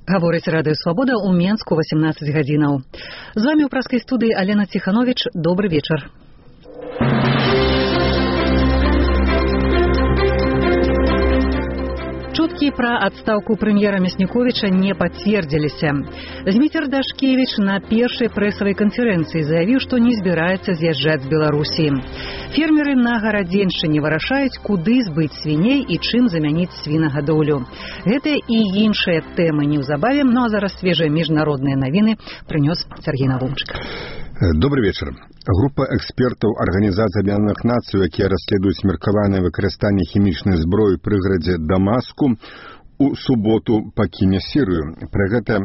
Гаворыць Радыё Свабода ў Менску 18 гадзінаў. З вамі ў праскай студыі Алена Ціхановіч. Добры вечар. Чуткі пра адстаўку прэм'ера Мясніковіча не пацвердзіліся. Зміцер Дашкевіч на першай прэсавай канферэнцыі заявіў, што не збіраецца з'язджаць з Беларусі. Фермеры на Гарадзеншчыне вырашаюць, куды збыць свіней і чым замяніць свінагадоўлю. Гэтыя і іншыя тэмы неўзабаве, а зараз свежыя міжнародныя навіны прынёс Сергей Навумчык. Добрый вечер. Група экспертаў Арганізацыі Аб'яднаных Нацый, якія расследуюць меркаванае выкарыстанне хімічнай зброі ў прыгарадзе Дамаску, у суботу пакіне Сірыю. Пра гэта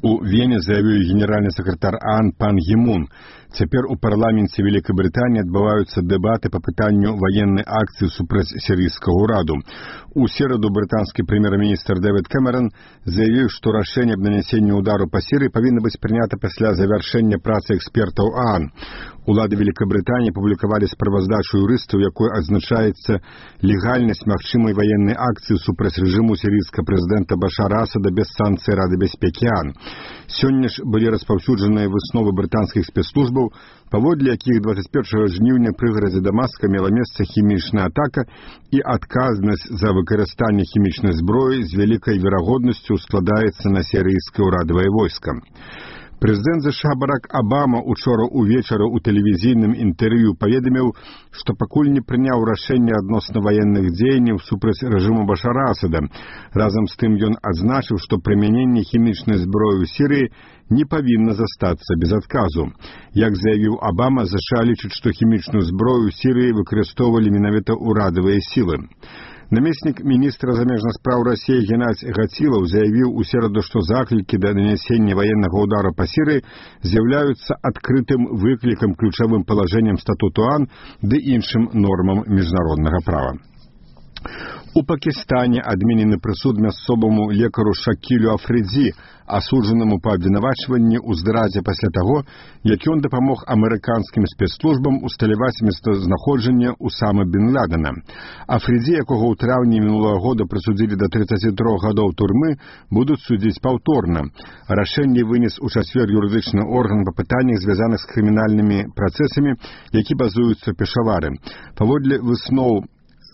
у Вене заявіў генеральны сакратар ААН пан Гі Мун. Цяпер у парламенце Вялікай Брытаніі адбываюцца дэбаты па пытанню ваеннай акцыі супраць сірыйскага ўраду. У сераду брытанскі прэм'ер-міністр Дэвід Кэмерон заявіў, што рашэнне аб нанясенні ўдару па Сірыі павінна быць прынята пасля завяршэння працы экспертаў ААН. Улады Вялікай Брытаніі публікавалі справаздачу юрыстаў, якой адзначаецца легальнасць магчымай ваеннай акцыі супраць рэжыму сірыйскага прэзідэнта Башара Асада без санкцый Рады бяспекі ААН. Сёння ж былі распаўсюджаныя высновы брытанскіх спецслужбаў, паводле якіх 21 жніўня прыгарадзе Дамаска мела месца хімічная атака і адказнасць за выкарыстанне хімічнай зброі з вялікай верагоднасцю складаецца на сірыйскае ўрадавае войска. Прэзідэнт США Барак Абама учора ўвечары ў тэлевізійным інтэрв'ю паведаміў, што пакуль не прыняў рашэнне адносна ваенных дзеянняў супраць рэжыму Башара Асада. Разам з тым ён адзначыў, што прымяненне хімічнай зброі ў Сірыі не павінна застацца без адказу. Як заявіў Абама, США лічыць, што хімічную зброю ў Сірыі выкарыстоўвалі менавіта ўрадавыя сілы. Намеснік міністра замежных спраў Расіі Геннадзь Гацілаў заявіў у сераду, што заклікі да нанясення ваеннага ўдару па Сірыі з'яўляюцца адкрытым выклікам ключавым палажэннем статуту ААН ды іншым нормам міжнароднага права. У Пакістане адменены прысуд мясцоваму лекару Шакілю Афридзі, асуджанаму па абвінавачванні ў здрадзе пасля таго, як ён дапамог амерыканскім спецслужбам усталяваць месцазнаходжанне Усамы бен Ладена. Афридзі, якога ў траўні мінулага года прысудзілі да 33 гадоў турмы, будуць судзіць паўторна. Рашэнне вынес у чацвер юрыдычны орган па пытаннях, звязаных з крымінальнымі працэсамі, які базуюцца ў Пешавары. Паводле высноў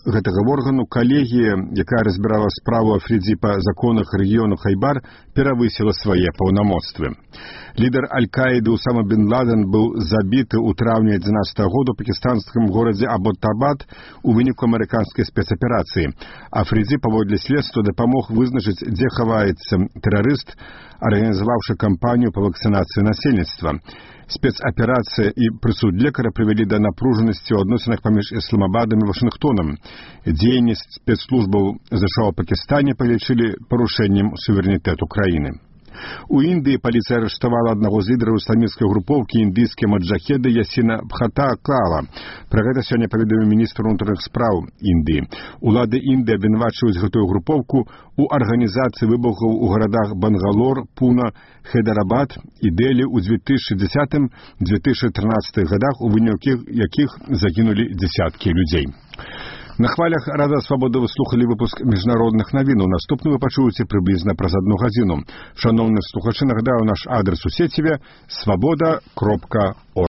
гэтага органу калегія, якая разбірала справу Афридзі па законах рэгіёну Хайбар, перавысіла свае паўнамоцтвы. Лідар Аль-Каіды Усама бен Ладен быў забіты ў траўні 2011 года ў пакістанскім горадзе Абботабад у выніку амерыканскай спецаперацыі. Афридзі, паводле следства, дапамог вызначыць, дзе хаваецца тэрарыст, арганізаваўшы кампанію па вакцынацыі насельніцтва. Спецаперацыя і прысуд лекара прывялі да напружанасці ў адносінах паміж Ісламабадам і Вашынгтонам. Дзеянні спецслужбаў США ў Пакістане палічылі парушэннем суверэнітэту краіны. У Індыі паліцыя арыштавала аднаго з лідараў ісламісцкай групоўкі індыйскія маджахеды Ясіна Бхатакала. Пра гэта сёння паведаміў міністр унутраных спраў Індыі. Улады Індыі абвінавачваюць гэтую групоўку у арганізацыі выбухаў у гарадах Бангалор, Пуна, Хайдарабад і Дэлі ў 2010-2013 гадах, у выніку якіх загінулі дзясяткі людзей. На хвалях Радыё Свабода вы слухалі выпуск міжнародных навінаў. Наступны вы пачуеце прыблізна праз 1 гадзіну. Шаноўныя слухачы, нагадаю наш адрес у сеціве свабода.орг.